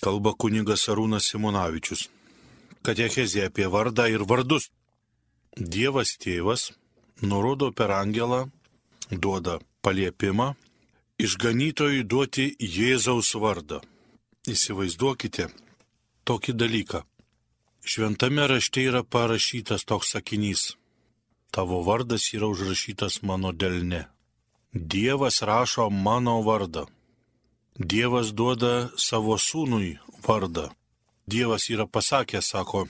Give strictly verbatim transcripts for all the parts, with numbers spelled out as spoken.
Kalba kunigas Arūnas Simonavičius. Katechezė apie vardą ir vardus. Dievas tėvas nurodo per angelą, duoda paliepimą išganytojui duoti Jėzaus vardą. Įsivaizduokite tokį dalyką. Šventame rašte yra parašytas toks sakinys. Tavo vardas yra užrašytas mano delne. Dievas rašo mano vardą. Dievas duoda savo sūnui vardą. Dievas yra pasakęs, sako,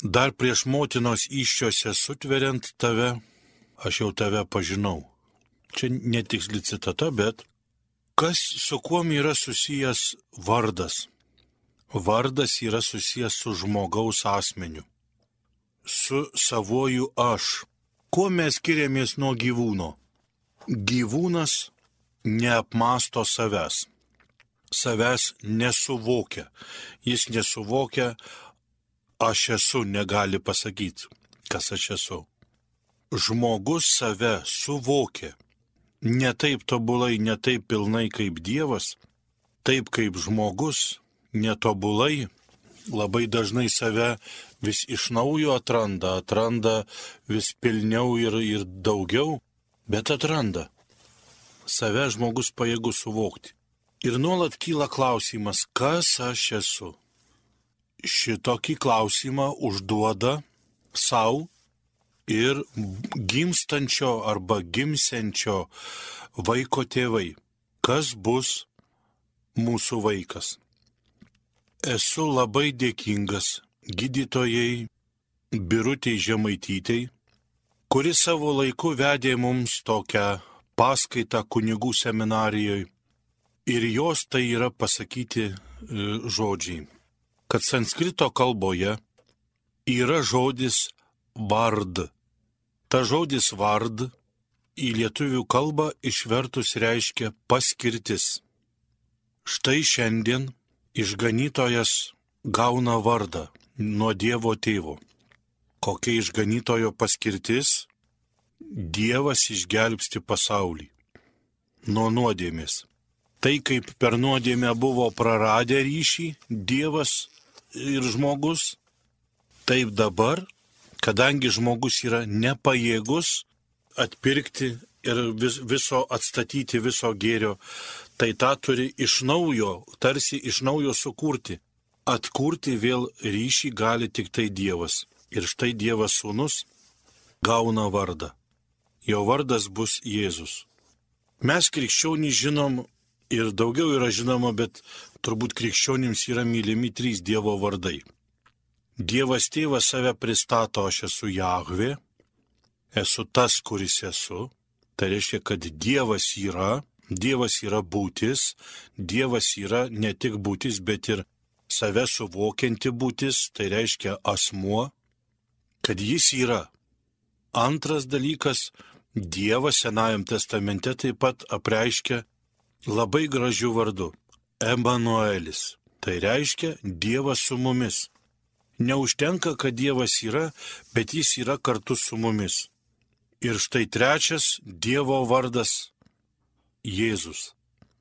dar prieš motinos įsčiose sutveriant tave, aš jau tave pažinau. Čia netiksli citata, bet kas su kuom yra susijęs vardas? Vardas yra susijęs su žmogaus asmeniu, su savuoju aš. Kuo mes skiriamės nuo gyvūno? Gyvūnas neapmąsto savęs. Savęs nesuvokia. Jis nesuvokia, aš esu, negali pasakyti, kas aš esu. Žmogus save suvokia. Ne taip tobulai, ne taip pilnai kaip Dievas, taip kaip žmogus, netobulai, labai dažnai save vis iš naujo atranda, atranda vis pilniau ir, ir daugiau, bet atranda. Save žmogus pajėgus suvokti. Ir nuolat kyla klausimas, kas aš esu. Šitokį klausimą užduoda savo ir gimstančio arba gimsiančio vaiko tėvai. Kas bus mūsų vaikas? Esu labai dėkingas gydytojai Birutei Žemaitytei, kuri savo laiku vedė mums tokią paskaitą kunigų seminarijoje. Ir jos tai yra pasakyti e, žodžiai, kad sanskrito kalboje yra žodis vard. Ta žodis vard į lietuvių kalbą išvertus reiškia paskirtis. Štai šiandien išganytojas gauna vardą nuo Dievo tėvo. Kokia išganytojo paskirtis? Dievas išgelbsti pasaulį nuo nuodėmės. Tai kaip per nuodėmę buvo praradę ryšį Dievas ir žmogus, taip dabar, kadangi žmogus yra nepajėgus atpirkti ir vis, viso atstatyti viso gėrio, tai tą turi iš naujo, tarsi iš naujo sukurti. Atkurti vėl ryšį gali tik tai Dievas. Ir štai Dievas sūnus gauna vardą. Jo vardas bus Jėzus. Mes krikščionys žinom, ir daugiau yra žinoma, bet turbūt krikščionims yra mylimi trys Dievo vardai. Dievas tėvas save pristato, aš esu Jahvė, esu tas, kuris esu. Tai reiškia, kad Dievas yra, Dievas yra būtis, Dievas yra ne tik būtis, bet ir save suvokianti būtis, tai reiškia asmuo, kad jis yra. Antras dalykas, Dievas Senajam testamente taip pat apreiškia labai gražių vardų. Emanuelis. Tai reiškia Dievas su mumis. Neužtenka, kad Dievas yra, bet jis yra kartu su mumis. Ir štai trečias Dievo vardas Jėzus.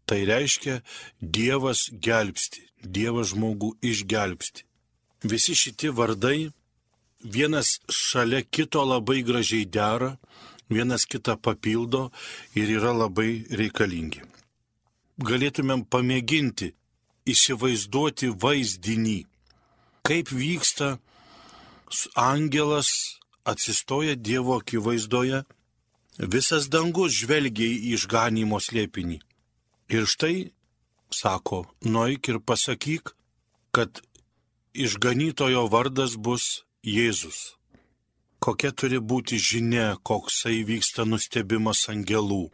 Tai reiškia Dievas gelbsti. Dievas žmogų išgelbsti. Visi šitie vardai vienas šalia kito labai gražiai dera, vienas kitą papildo ir yra labai reikalingi. Galėtumėm pamėginti įsivaizduoti vaizdinį, kaip vyksta angelas atsistoja Dievo akivaizdoje, visas dangus žvelgia į išganymo slėpinį. Ir štai, sako, nueik ir pasakyk, kad išganytojo vardas bus Jėzus. Kokia turi būti žinia, koksai vyksta nustebimas angelų,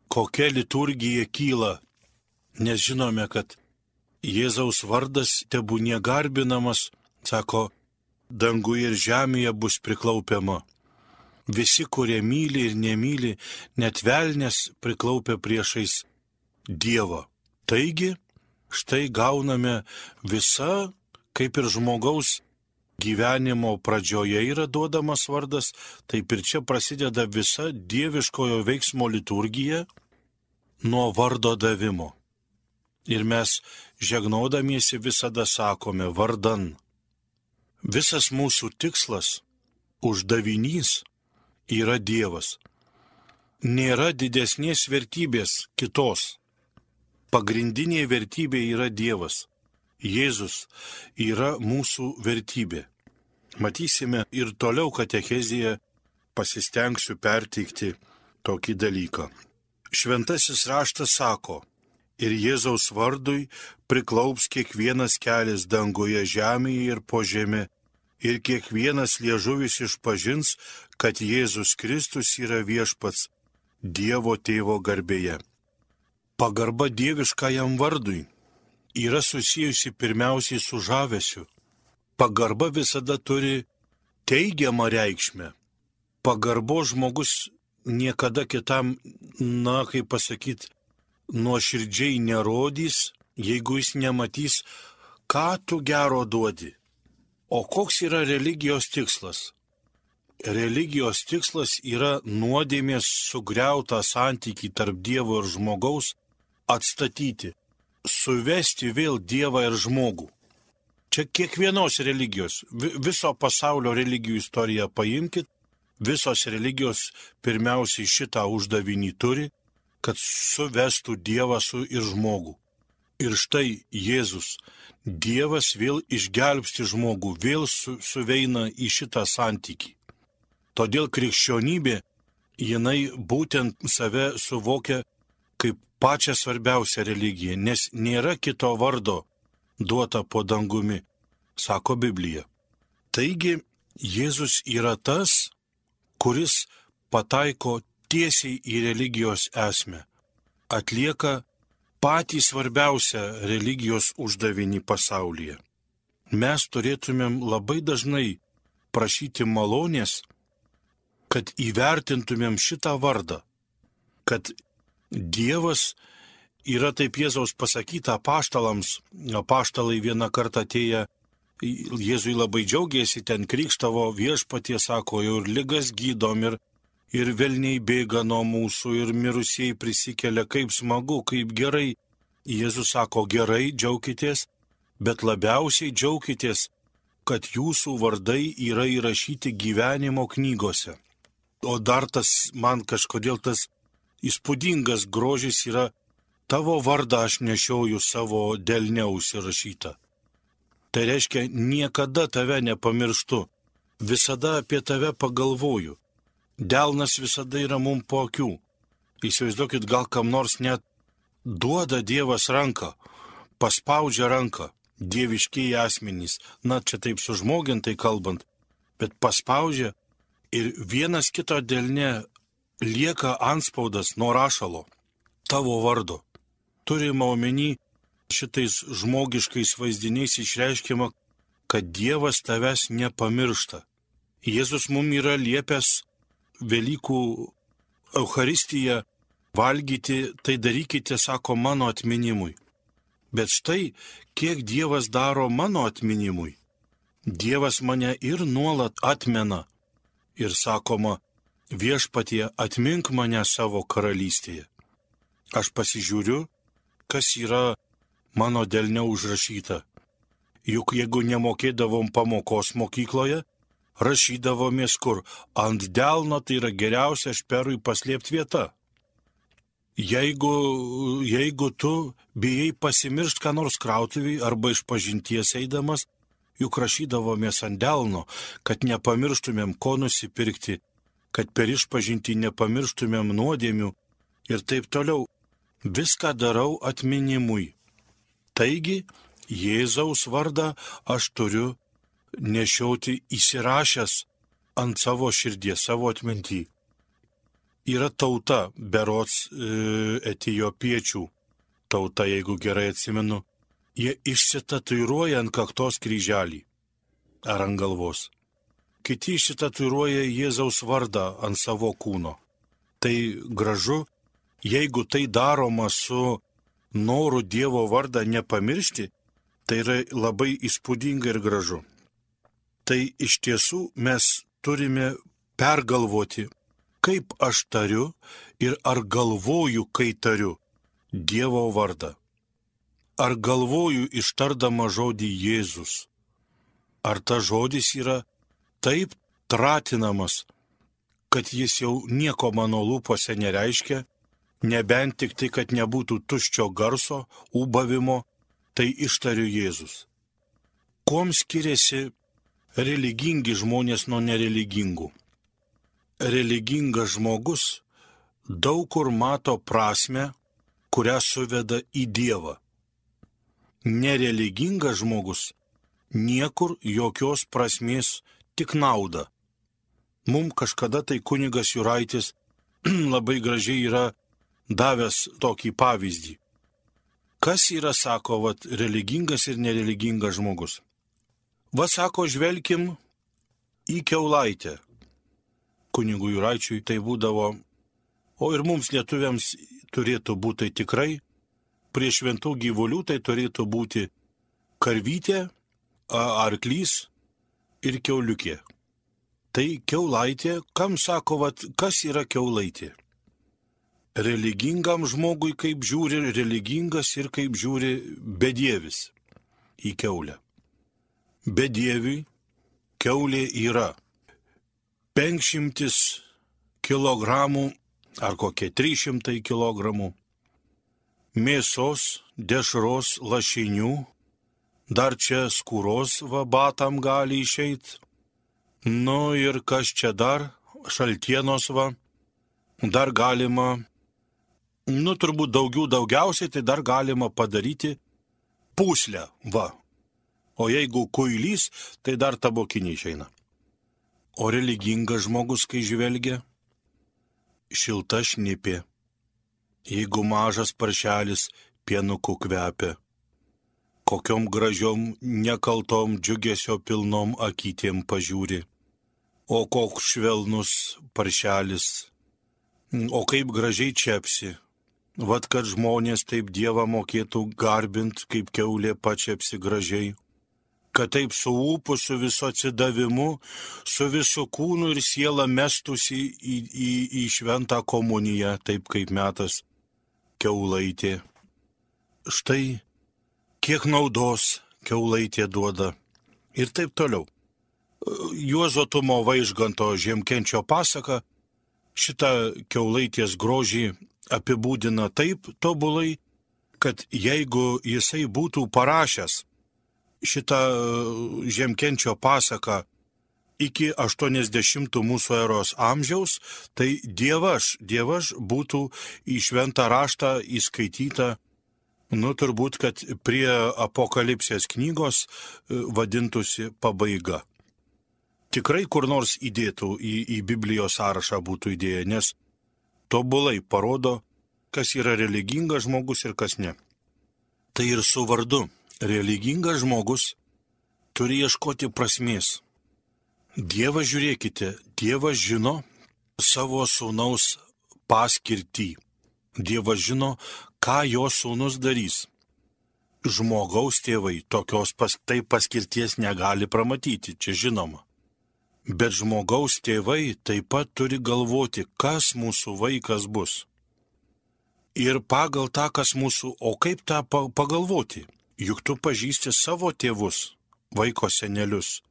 kokia liturgija kyla, nes žinome, kad Jėzaus vardas tebūnie garbinamas, sako, danguje ir žemėje bus priklaupiama. Visi, kurie myli ir nemyli, net velnės priklaupia priešais Dievą. Taigi, štai gauname visa, kaip ir žmogaus gyvenimo pradžioje yra duodamas vardas, taip ir čia prasideda visa dieviškojo veiksmo liturgija nuo vardo davimo. Ir mes žegnodamiesi visada sakome vardan. Visas mūsų tikslas, uždavinys yra Dievas. Nėra didesnės vertybės kitos. Pagrindinė vertybė yra Dievas. Jėzus yra mūsų vertybė. Matysime ir toliau katechezėje pasistengsiu perteikti tokį dalyką. Šventasis raštas sako, ir Jėzaus vardui priklaups kiekvienas kelias danguje, žemėje ir po žemė, ir kiekvienas liežuvis išpažins, kad Jėzus Kristus yra viešpats Dievo Tėvo garbėje. Pagarba dieviškajam vardui yra susijusi pirmiausiai su žavesiu. Pagarba visada turi teigiamą reikšmę. Pagarbo žmogus niekada kitam, na, kaip pasakyti, nuoširdžiai nerodys, jeigu jis nematys, ką tu gero duodi. O koks yra religijos tikslas? Religijos tikslas yra nuodėmės sugriautą santykį tarp Dievo ir žmogaus atstatyti, suvesti vėl Dievą ir žmogų. Čia kiekvienos religijos, viso pasaulio religijų istoriją paimkit, visos religijos pirmiausiai šitą uždavinį turi, kad suvestų Dievą su ir žmogų. Ir štai Jėzus, Dievas vėl išgelbsti žmogų, vėl su, suveina į šitą santykį. Todėl krikščionybė, jinai būtent save suvokia kaip pačią svarbiausią religiją, nes nėra kito vardo duota po dangumi, sako Biblija. Taigi, Jėzus yra tas, kuris pataiko tiesiai į religijos esmę, atlieka patį svarbiausią religijos uždavinį pasaulyje. Mes turėtumėm labai dažnai prašyti malonės, kad įvertintumėm šitą vardą, kad Dievas yra taip Jėzaus pasakyta apaštalams, apaštalai vieną kartą atėję, Jėzui labai džiaugiasi, ten krikštavo viešpatie, sako, jau ir ligas gydom, ir, ir velniai bėga nuo mūsų, ir mirusieji prisikelia, kaip smagu, kaip gerai. Jėzus sako, gerai, džiaukitės, bet labiausiai džiaukitės, kad jūsų vardai yra įrašyti gyvenimo knygose. O dar tas, man kažkodėl tas įspūdingas grožis yra, tavo vardą aš nešioju savo delne užsirašytą. Tai reiškia, niekada tave nepamirštu, visada apie tave pagalvoju. Delnas visada yra mum po akių. Įsivaizduokit, gal kam nors net duoda Dievas ranką, paspaudžia ranką, dieviškiai asmenys, na čia taip sužmogintai kalbant, bet paspaudžia ir vienas kito delne lieka antspaudas nuo rašalo, tavo vardo. Turima omeny šitais žmogiškais vaizdiniais išreiškiama, kad Dievas tavęs nepamiršta. Jėzus mums yra liepęs Velykų Eucharistiją valgyti, tai darykite, sako, mano atminimui. Bet štai, kiek Dievas daro mano atminimui. Dievas mane ir nuolat atmena. Ir sakoma, viešpatie, atmink mane savo karalystėje. Aš pasižiūriu, kas yra mano delne užrašyta. Juk jeigu nemokėdavom pamokos mokykloje, rašydavomės kur ant delno, tai yra geriausia šperui paslėpti vieta. Jeigu, jeigu tu bijai pasimiršt ką nors krautuvį arba iš pažinties eidamas, juk rašydavomės ant delno, kad nepamirštumėm ko nusipirkti, kad per išpažintį nepamirštumėm nuodėmių ir taip toliau. Viską darau atminimui. Taigi, Jėzaus vardą aš turiu nešioti įsirašęs ant savo širdies, savo atmintį. Yra tauta, berods e, etijopiečių tauta, jeigu gerai atsimenu, jie išsitatuiruoja ant kaktos kryželį ar ant galvos. Kiti išsitatuiruoja Jėzaus vardą ant savo kūno. Tai gražu, jeigu tai daroma su noru Dievo vardą nepamiršti, tai yra labai įspūdinga ir gražu. Tai iš tiesų mes turime pergalvoti, kaip aš tariu ir ar galvoju, kai tariu Dievo vardą. ar galvoju ištardama žodį Jėzus. Ar tas žodis yra taip tratinamas, kad jis jau nieko mano lūpose nereiškia, nebent tik tai, kad nebūtų tuščio garso, ūbavimo, tai ištariu Jėzus. Kuom skiriasi religingi žmonės nuo nereligingų? Religingas žmogus daug kur mato prasmę, kurią suveda į Dievą. Nereligingas žmogus niekur jokios prasmės, tik naudą. Mums kažkada tai kunigas Juraitis labai gražiai yra davęs tokį pavyzdį. Kas yra, sako, vat, religingas ir nereligingas žmogus? Va, sako, žvelkim į kiaulaitę. Kunigui Juraičiui tai būdavo, o ir mums lietuviams turėtų būti tikrai, prie šventų gyvulių tai turėtų būti karvytė, arklys ir kiauliukė. Tai kiaulaitė, kam sako, vat, kas yra kiaulaitė? Religingam žmogui kaip žiūri religingas ir kaip žiūri bedievis į kiaulę. Bedieviui kiaulė yra penkšimtis kilogramų ar kokie trys šimtai kilogramų mėsos, dešros, lašinių, dar čia skūros va batam gali išeit, nu ir kas čia dar, šaltienos va, dar galima, nu turbūt daugiau daugiausiai, tai dar galima padaryti pūslę, va. O jeigu kuilys, tai dar tabokinį išeina. O religingas žmogus, kai žvelgia, šilta šnipė. Jeigu mažas paršelis pienuku kvepia, kokiom gražiom, nekaltom, džiugesio pilnom akytėm pažiūri. O koks švelnus paršelis, o kaip gražiai čepsi. Vat kad žmonės taip Dievą mokėtų garbint, kaip kiaulė pačepsi gražiai. Kad taip su ūpu, su viso atsidavimu, su visu kūnu ir siela mestųsi į, į, į šventą komuniją, taip kaip metas kiaulaitė. Štai kiek naudos kiaulaitė duoda. Ir taip toliau. Juozo Tumo Vaižganto Žiemkenčio pasaka šitą kiaulaitės grožį apibūdina taip tobulai, kad jeigu jisai būtų parašęs šitą Žiemkenčio pasaką iki aštuoniasdešimtų mūsų eros amžiaus, tai dievaž, dievaž būtų į šventą raštą įskaityta, nu turbūt, kad prie Apokalipsės knygos vadintųsi pabaiga. Tikrai kur nors įdėtų į, į Biblijos sąrašą būtų idėja, nes tobulai parodo, kas yra religingas žmogus ir kas ne. Tai ir su vardu. Religingas žmogus turi ieškoti prasmės. Dievas, žiūrėkite, Dievas žino savo sūnaus paskirtį. Dievas žino, ką jo sūnus darys. Žmogaus tėvai tokios pas, tai paskirties negali pramatyti, čia žinoma. Bet žmogaus tėvai taip pat turi galvoti, kas mūsų vaikas bus. Ir pagal tą, kas mūsų, o kaip tą pagalvoti? Juk tu pažįsti savo tėvus, vaiko senelius.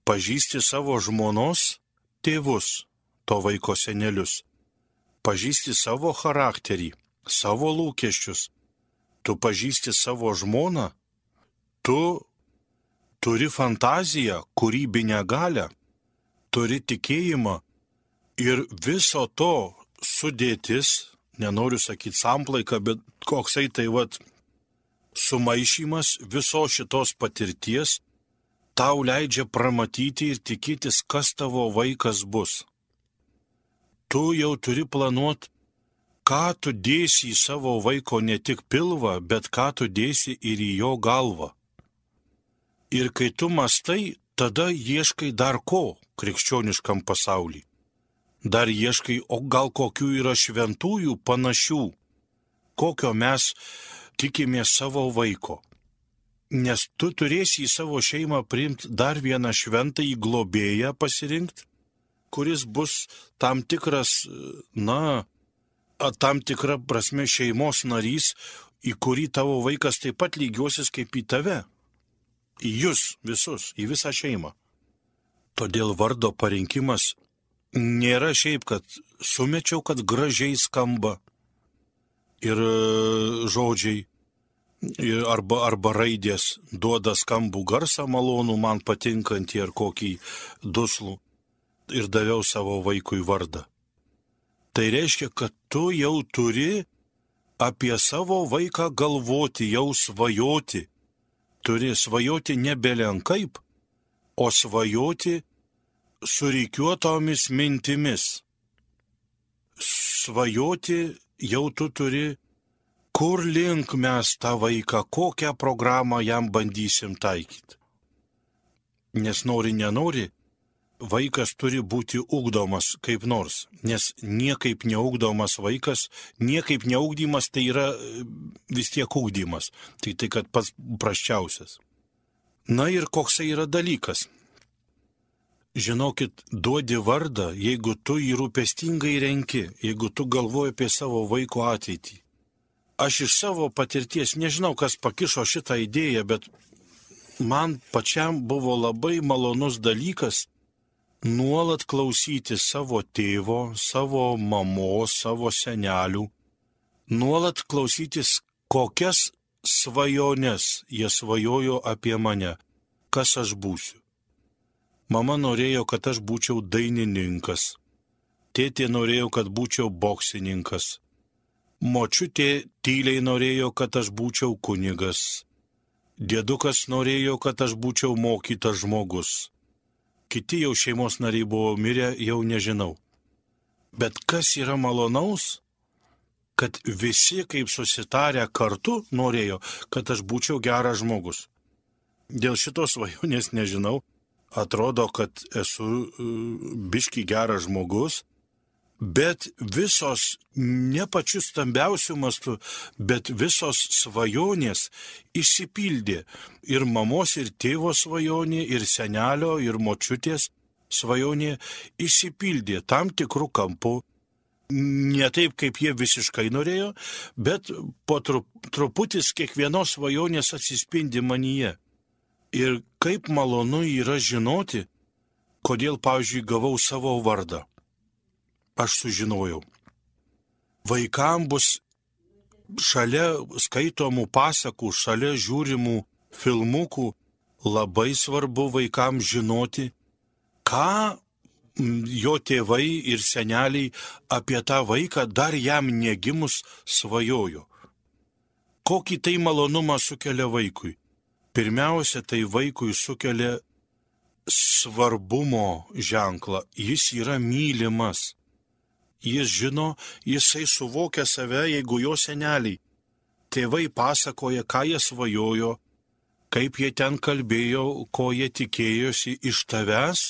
Pažįsti savo žmonos tėvus, to vaiko senelius. Pažįsti savo charakterį, savo lūkesčius. Tu pažįsti savo žmoną. Tu turi fantaziją, kūrybinę galią. Turi tikėjimą. Ir viso to sudėtis, nenoriu sakyti samplaika, bet koksai tai vat sumaišymas viso šitos patirties tau leidžia pramatyti ir tikėtis, kas tavo vaikas bus. Tu jau turi planuoti, ką tu dėsi į savo vaiko ne tik pilvą, bet ką tu dėsi ir į jo galvą. Ir kai tu mastai, tada ieškai dar ko krikščioniškam pasauliui. Dar ieškai, o gal kokių yra šventųjų panašių, kokio mes tikimės savo vaiko. Nes tu turėsi į savo šeimą priimti dar vieną šventąjį globėją pasirinkti, kuris bus tam tikras, na, tam tikra prasme šeimos narys, į kurį tavo vaikas taip pat lygiosis kaip į tave. Į jūs visus, į visą šeimą. Todėl vardo parinkimas nėra šiaip, kad sumečiau, kad gražiai skamba ir žodžiai, ir arba, arba raidės duoda skambų garsą malonų, man patinkantį ar kokį duslų ir daviau savo vaikui vardą. Tai reiškia, kad tu jau turi apie savo vaiką galvoti, jau svajoti. Turi svajoti ne belenkaip, o svajoti surikiuotomis mintimis. Svajoti jau tu turi, kur link mes tą vaiką, kokią programą jam bandysim taikyti. Nes nori, nenori, vaikas turi būti ugdomas kaip nors, nes niekaip neugdomas vaikas, niekaip neugdymas tai yra vis tiek ugdymas, tai tai kad pats prasčiausias. Na ir koksai yra dalykas. Žinokit, duodi vardą, jeigu tu jį rūpestingai renki, jeigu tu galvoji apie savo vaiko ateitį. Aš iš savo patirties nežinau, kas pakišo šitą idėją, bet man pačiam buvo labai malonus dalykas nuolat klausyti savo tėvo, savo mamos, savo senelių, nuolat klausytis, kokias svajones jie svajojo apie mane, kas aš būsiu. Mama norėjo, kad aš būčiau dainininkas, tėtė norėjo, kad būčiau boksininkas, močiutė tyliai norėjo, kad aš būčiau kunigas, dėdukas norėjo, kad aš būčiau mokytas žmogus. Kiti jau šeimos nariai buvo mirę, jau nežinau. Bet kas yra malonaus, kad visi kaip susitarę kartu norėjo, kad aš būčiau geras žmogus. Dėl šitos svajonės nežinau, atrodo, kad esu biški geras žmogus, bet visos, ne pačių stambiausių mastų, bet visos svajonės išsipildė. Ir mamos, ir tėvo svajonė, ir senelio, ir močiutės svajonė išsipildė tam tikrų kampų. Ne taip, kaip jie visiškai norėjo, bet po truputis kiekvienos svajonės atsispindi manyje. Ir kaip malonu yra žinoti, kodėl, pavyzdžiui, gavau savo vardą. Aš sužinojau. Vaikam bus šalia skaitomų pasakų, šalia žiūrimų filmukų labai svarbu vaikam žinoti, ką jo tėvai ir seneliai apie tą vaiką dar jam negimus svajojo. Kokį tai malonumą sukelia vaikui? Pirmiausia, tai vaikui sukelia svarbumo ženklą. Jis yra mylimas. Jis žino, jisai suvokia save, jeigu jo seneliai. Tėvai pasakoja, ką jie svajojo, kaip jie ten kalbėjo, ko jie tikėjosi iš tavęs.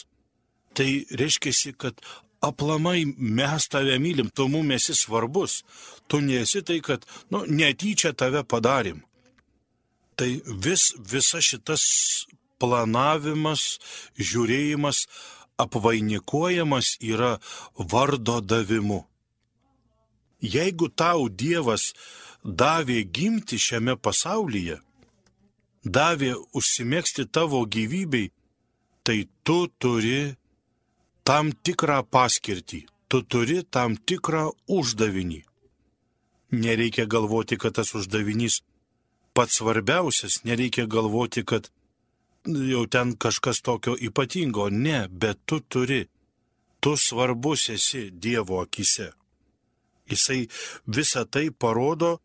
Tai reiškia, kad aplamai mes tave mylim, tu mum esi svarbus. Tu nesi tai, kad nu, netyčia tave padarim. Tai vis, visa šitas planavimas, žiūrėjimas, apvainikuojamas yra vardo davimu. Jeigu tau Dievas davė gimti šiame pasaulyje, davė užsimegzti tavo gyvybei, tai tu turi tam tikrą paskirtį, tu turi tam tikrą uždavinį. Nereikia galvoti, kad tas uždavinys pats svarbiausias, nereikia galvoti, kad jau ten kažkas tokio ypatingo. Ne, bet tu turi, tu svarbus esi Dievo akise. Jisai visą tai parodo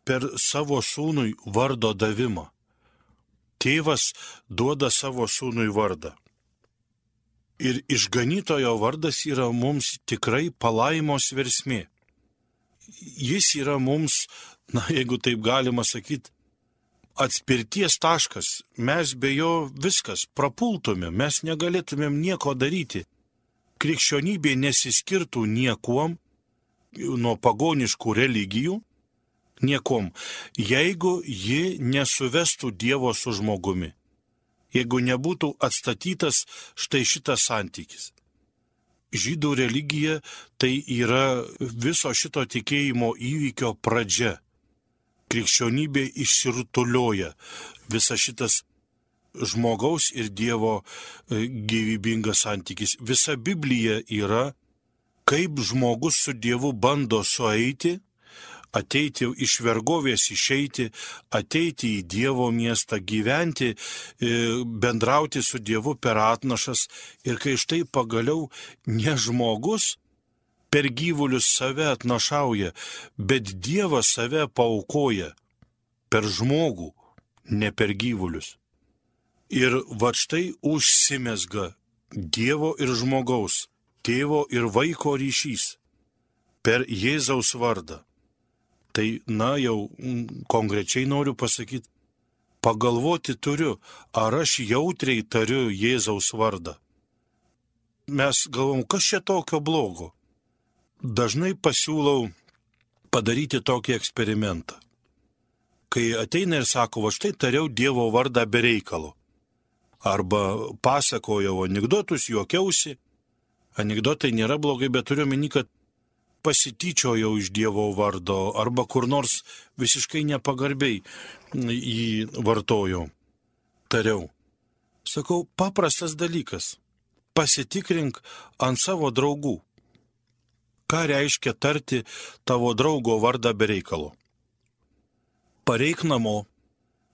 per savo sūnui vardo davimą. Tėvas duoda savo sūnui vardą. Ir išganytojo vardas yra mums tikrai palaimos versmė. Jis yra mums, na, jeigu taip galima sakyti, atspirties taškas. Mes be jo viskas prapultume, mes negalėtumėm nieko daryti. Krikščionybė nesiskirtų niekuom nuo pagoniškų religijų, niekom, jeigu ji nesuvestų Dievo su žmogumi. Jeigu nebūtų atstatytas štai šitas santykis. Žydų religija tai yra viso šito tikėjimo įvykio pradžia. krikščionybė išsirutulioja. Visa šitas žmogaus ir Dievo gyvybingas santykis. Visa Biblija yra, kaip žmogus su Dievu bando sueiti, ateiti iš vergovės, išeiti, ateiti į Dievo miestą, gyventi, bendrauti su Dievu per atnašas. Ir kai štai pagaliau ne žmogus per gyvulius save atnašauja, bet Dievas save paaukoja per žmogų, ne per gyvulius. Ir va štai užsimezga Dievo ir žmogaus, tėvo ir vaiko ryšys per Jėzaus vardą. Tai, na, jau konkrečiai noriu pasakyti, pagalvoti turiu, ar aš jautriai tariu Jėzaus vardą. Mes galvom, kas čia tokio blogo? Dažnai pasiūlau padaryti tokį eksperimentą. Kai ateina ir sako, va štai tariau Dievo vardą be reikalo. Arba pasakojau anekdotus, juokiausi. Anekdotai nėra blogai, bet turiu meni, kad pasityčiojau iš Dievo vardo, arba kur nors visiškai nepagarbiai jį vartojau, tariau. Sakau, paprastas dalykas. Pasitikrink ant savo draugų. Ką reiškia tarti tavo draugo vardą be reikalo? Pareik namo,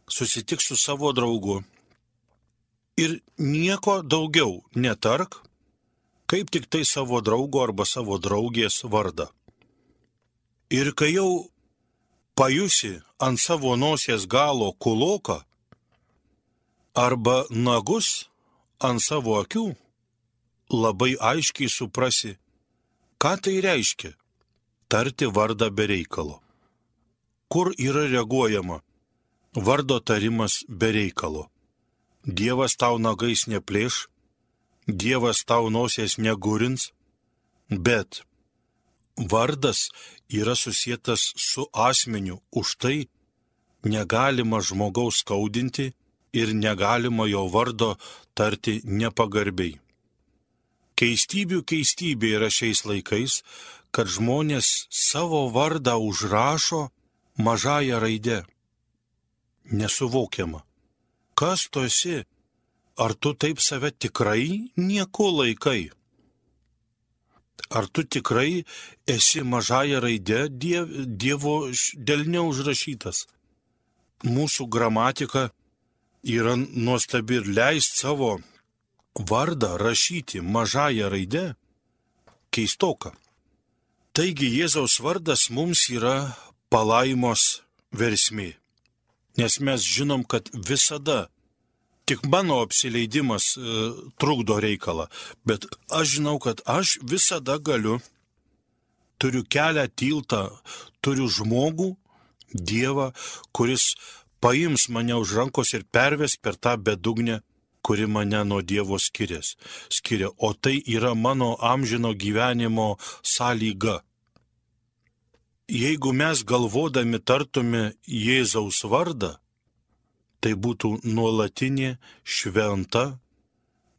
susitik su savo draugu ir nieko daugiau netark, kaip tik tai savo draugo arba savo draugės vardą. Ir kai jau pajusi ant savo nosies galo kuloką arba nagus ant savo akių, labai aiškiai suprasi, ką tai reiškia tarti vardą be reikalo. Kur yra reaguojama vardo tarimas be reikalo? Dievas tau nagais neplėš, Dievas tau nosies negurins, bet vardas yra susietas su asmeniu, už tai negalima žmogaus skaudinti ir negalima jo vardo tarti nepagarbiai. Keistybių keistybė yra šiais laikais, kad žmonės savo vardą užrašo mažąją raidę. Nesuvokiama. Kas tu esi? Ar tu taip save tikrai nieko laikai? Ar tu tikrai esi mažąją raidę diev, Dievo delne užrašytas? Mūsų gramatika yra nuostabi ir leist savo vardą rašyti mažąją raidę keistoka. Taigi Jėzaus vardas mums yra palaimos versmė, nes mes žinom, kad visada tik mano apsileidimas e, trukdo reikalą, bet aš žinau, kad aš visada galiu, turiu kelią, tiltą, turiu žmogų, Dievą, kuris paims mane už rankos ir perves per tą bedugnę, kuri mane nuo Dievo skirias, skiria. O tai yra mano amžino gyvenimo sąlyga. Jeigu mes galvodami tartume Jėzaus vardą, tai būtų nuolatinė, šventa,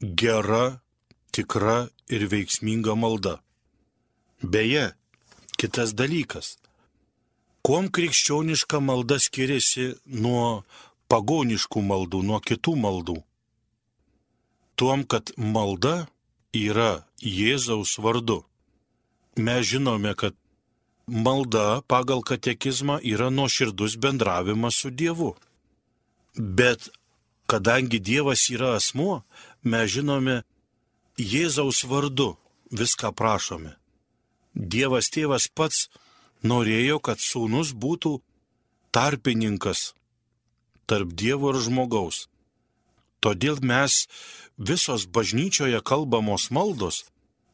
gera, tikra ir veiksminga malda. Beje, kitas dalykas. Kuom krikščioniška malda skiriasi nuo pagoniškų maldų, nuo kitų maldų? Tuom, kad malda yra Jėzaus vardu. Mes žinome, kad malda pagal katekizmą yra nuoširdus bendravimas su Dievu. Bet kadangi Dievas yra asmuo, mes žinome Jėzaus vardu viską prašome. Dievas tėvas pats norėjo, kad sūnus būtų tarpininkas tarp Dievo ir žmogaus. Todėl mes visos bažnyčioje kalbamos maldos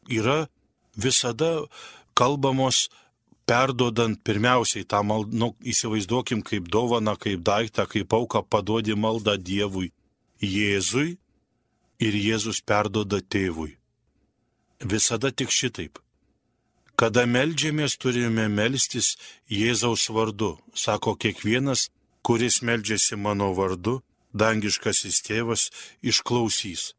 yra visada kalbamos perduodant pirmiausiai tą maldą, nu, įsivaizduokim kaip dovaną, kaip daiktą, kaip auką paduodi maldą Dievui, Jėzui ir Jėzus perduoda tėvui. Visada tik šitaip. Kada meldžiamės, turime melstis Jėzaus vardu. Sako kiekvienas, kuris meldžiasi mano vardu, dangiškasis tėvas išklausys.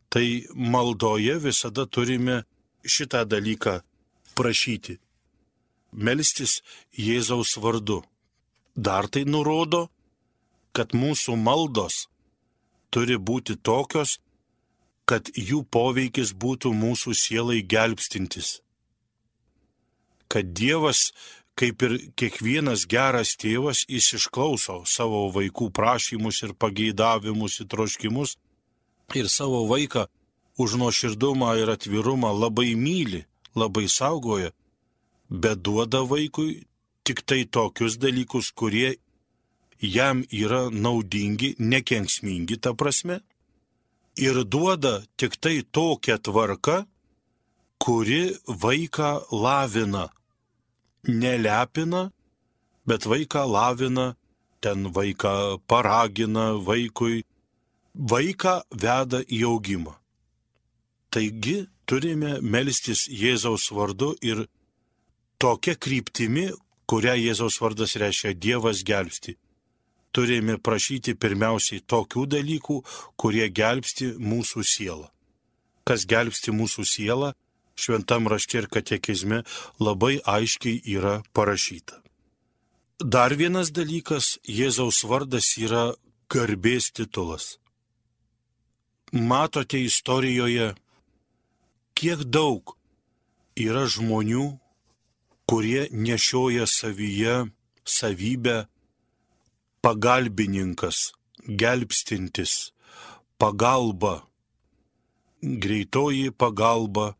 Tai maldoje visada turime šitą dalyką prašyti. Melstis Jėzaus vardu. Dar tai nurodo, kad mūsų maldos turi būti tokios, kad jų poveikis būtų mūsų sielai gelbstintis. Kad Dievas, kaip ir kiekvienas geras tėvas, jis išklauso savo vaikų prašymus ir pageidavimus ir troškimus ir savo vaiką už nuoširdumą ir atvirumą labai myli, labai saugoja, bet duoda vaikui tik tai tokius dalykus, kurie jam yra naudingi, nekenksmingi ta prasme, ir duoda tik tai tokią tvarką, kuri vaiką lavina. Nelepina, bet vaiką lavina, ten vaiką paragina vaikui, vaiką veda į augimą. Taigi turime melstis Jėzaus vardu ir tokia kryptimi, kurią Jėzaus vardas reiškia Dievas gelbsti. Turime prašyti pirmiausiai tokių dalykų, kurie gelbsti mūsų sielą. Kas gelbsti mūsų sielą, Šventam rašte ir katekizme labai aiškiai yra parašyta. Dar vienas dalykas, Jėzaus vardas yra garbės titulas. Matote istorijoje, kiek daug yra žmonių, kurie nešioja savyje savybę pagalbininkas, gelbstintis, pagalba, greitoji pagalba.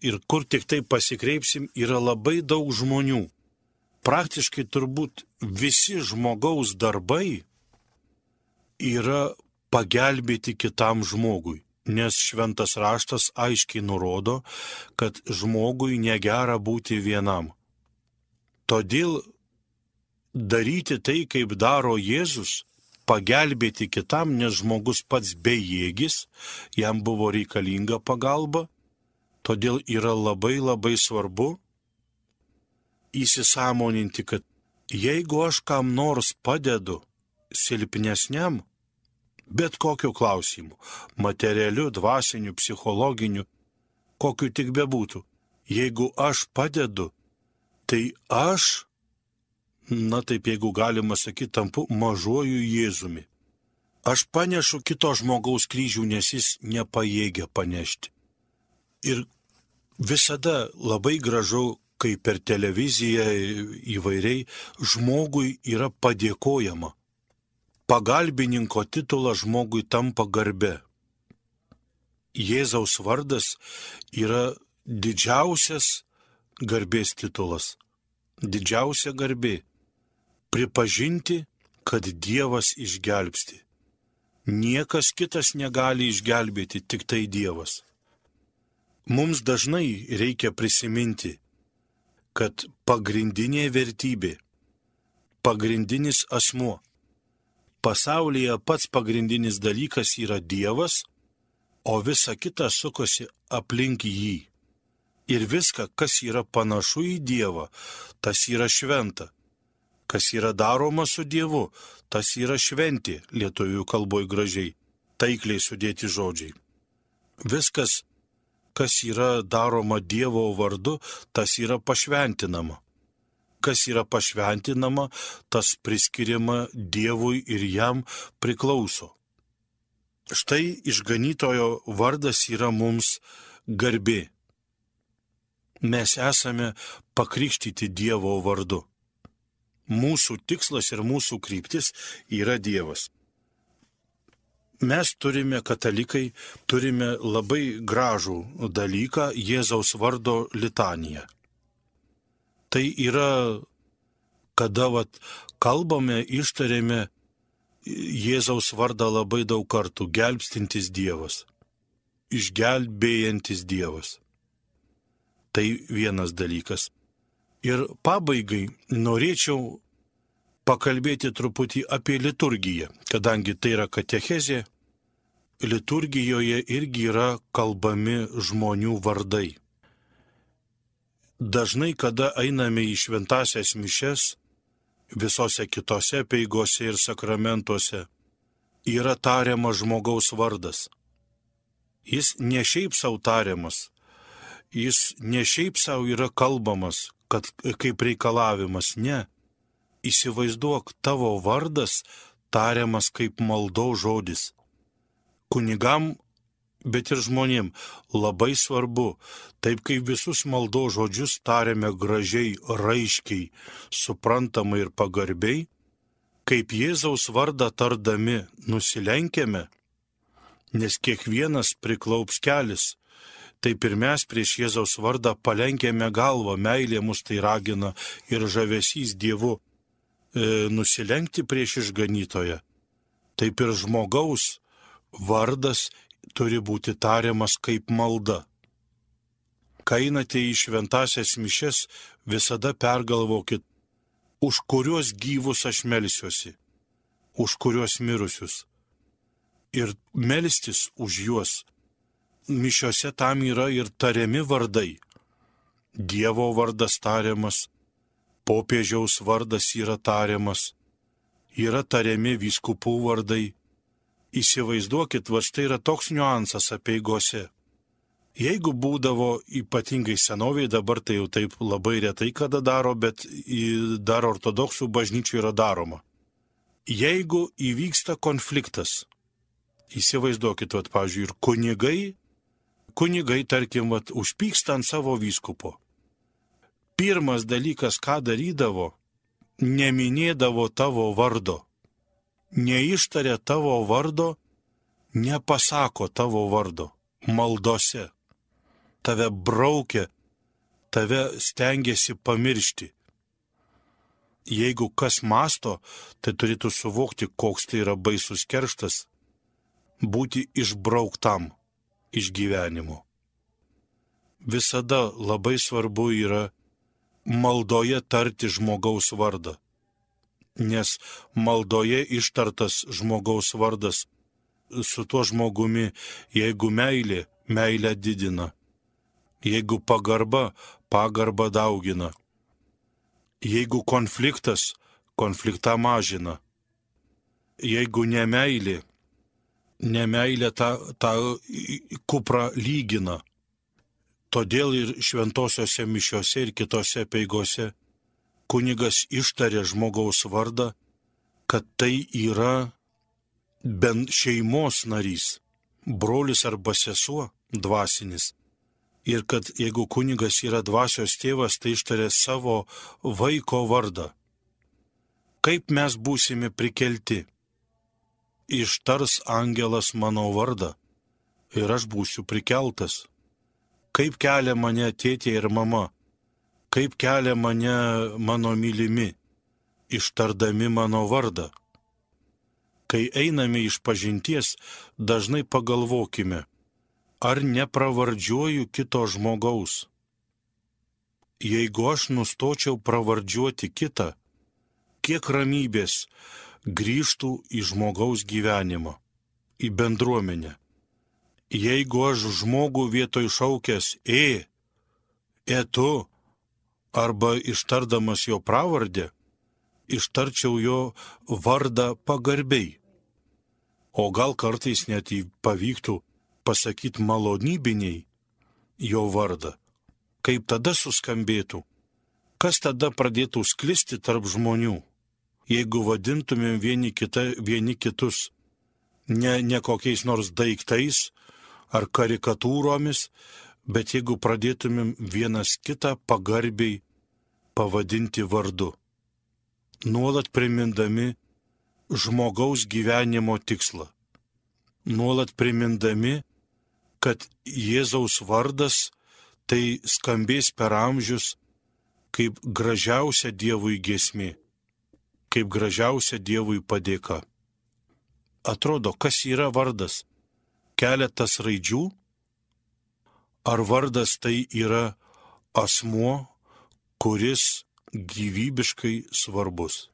Ir kur tik tai pasikreipsim, yra labai daug žmonių. Praktiškai turbūt visi žmogaus darbai yra pagelbėti kitam žmogui, nes šventas raštas aiškiai nurodo, kad žmogui negera būti vienam. Todėl daryti tai, kaip daro Jėzus, pagelbėti kitam, nes žmogus pats bejėgis, jam buvo reikalinga pagalba. Todėl yra labai labai svarbu įsisąmoninti, kad jeigu aš kam nors padedu silpnesniam, bet kokiu klausimu, materialiu, dvasiniu, psichologiniu, kokiu tik bebūtų, jeigu aš padedu, tai aš, na taip jeigu galima sakyti, tampu mažuoju Jėzumi. Aš panešu kito žmogaus kryžių, nes jis nepajėgia panešti. Ir visada labai gražu, kai per televiziją įvairiai žmogui yra padėkojama. Pagalbininko titulas žmogui tampa garbe. Jėzaus vardas yra didžiausias garbės titulas. Didžiausia garbė. Pripažinti, kad Dievas išgelbsti. Niekas kitas negali išgelbėti, tik tai Dievas. Mums dažnai reikia prisiminti, kad pagrindinė vertybė, pagrindinis asmuo, pasaulyje pats pagrindinis dalykas yra Dievas, o visa kita sukosi aplink jį. Ir viską, kas yra panašu į Dievą, tas yra šventa. Kas yra daroma su Dievu, tas yra šventė, lietuvių kalboje gražiai, taikliai sudėti žodžiai. Viskas, kas yra daroma Dievo vardu, tas yra pašventinama. Kas yra pašventinama, tas priskiriama Dievui ir jam priklauso. Štai išganytojo vardas yra mums garbė. Mes esame pakrikštyti Dievo vardu. Mūsų tikslas ir mūsų kryptis yra Dievas. Mes turime, katalikai, turime labai gražų dalyką Jėzaus vardo litaniją. Tai yra, kada vat, kalbame, ištarėme Jėzaus vardą labai daug kartų, gelbstintis Dievas, išgelbėjantis Dievas. Tai vienas dalykas. Ir pabaigai norėčiau pakalbėti truputį apie liturgiją, kadangi tai yra katechezė, liturgijoje irgi yra kalbami žmonių vardai. Dažnai, kada einame į šventąsias mišes, visose kitose peigose ir sakramentuose, yra tariamas žmogaus vardas. Jis ne šiaip sau tariamas, jis ne šiaip sau yra kalbamas, kad kaip reikalavimas, ne. Įsivaizduok, tavo vardas tariamas kaip maldaus žodis. Kunigam, bet ir žmonėm labai svarbu, taip kaip visus maldaus žodžius tariame gražiai, raiškiai, suprantamai ir pagarbiai, kaip Jėzaus vardą tardami nusilenkiame, nes kiekvienas priklaups kelis, taip ir mes prieš Jėzaus vardą palenkėme galvą, meilė mus tai ragina ir žavesys Dievu e, nusilenkti prieš išganytoją. Taip ir žmogaus vardas turi būti tariamas kaip malda. Kai einate į šventąsias mišias, visada pergalvokit, už kuriuos gyvus aš melsiuosi, už kuriuos mirusius. Ir melstis už juos. Mišiose tam yra ir tariami vardai. Dievo vardas tariamas, popiežiaus vardas yra tariamas, yra tariami vyskupų vardai. Įsivaizduokit, va štai yra toks niuansas apeigose. Jeigu būdavo ypatingai senovėje, dabar tai jau taip labai retai kada daro, bet dar ortodoksų bažnyčių yra daroma. Jeigu įvyksta konfliktas, įsivaizduokit, vat, pavyzdžiui, ir kunigai, kunigai, tarkim, vat, užpyksta ant savo vyskupo. Pirmas dalykas, ką darydavo, neminėdavo tavo vardo. Neištarė tavo vardo, nepasako tavo vardo maldose. Tave braukia, tave stengiasi pamiršti. Jeigu kas masto, tai turėtų suvokti, koks tai yra baisus kerštas, būti išbrauktam iš gyvenimo. Visada labai svarbu yra maldoje tarti žmogaus vardą, nes maldoje ištartas žmogaus vardas su tuo žmogumi, jeigu meilė, meilę didina, jeigu pagarba, pagarba daugina, jeigu konfliktas, konfliktą mažina, jeigu nemeilė, nemeilė tą, tą kuprą lygina. Todėl ir šventosiose mišiose ir kitose apeigose kunigas ištarė žmogaus vardą, kad tai yra bent šeimos narys, brolis arba sesuo dvasinis. Ir kad jeigu kunigas yra dvasios tėvas, tai ištarė savo vaiko vardą. Kaip mes būsime prikelti? Ištars angelas mano vardą ir aš būsiu prikeltas. Kaip kelia mane tėtė ir mama, kaip kelia mane mano mylimi, ištardami mano vardą. Kai einame iš pažinties, dažnai pagalvokime, ar nepravardžiuoju kito žmogaus. Jeigu aš nustočiau pravardžiuoti kitą, kiek ramybės grįžtų į žmogaus gyvenimą, į bendruomenę. Jeigu aš žmogų vietoj šaukęs e, e tu, arba ištardamas jo pravardę, ištarčiau jo vardą pagarbiai. O gal kartais net pavyktų pasakyti malonybiniai jo vardą. Kaip tada suskambėtų? Kas tada pradėtų sklisti tarp žmonių? Jeigu vadintumėm vieni, kita, vieni kitus ne, ne kokiais nors daiktais ar karikatūromis, bet jeigu pradėtumėm vienas kitą pagarbiai pavadinti vardu, nuolat primindami žmogaus gyvenimo tikslą, nuolat primindami, kad Jėzaus vardas tai skambės per amžius kaip gražiausia Dievui giesmė, kaip gražiausia Dievui padėka. Atrodo, kas yra vardas? Keletas raidžių? Ar vardas tai yra asmuo, kuris gyvybiškai svarbus?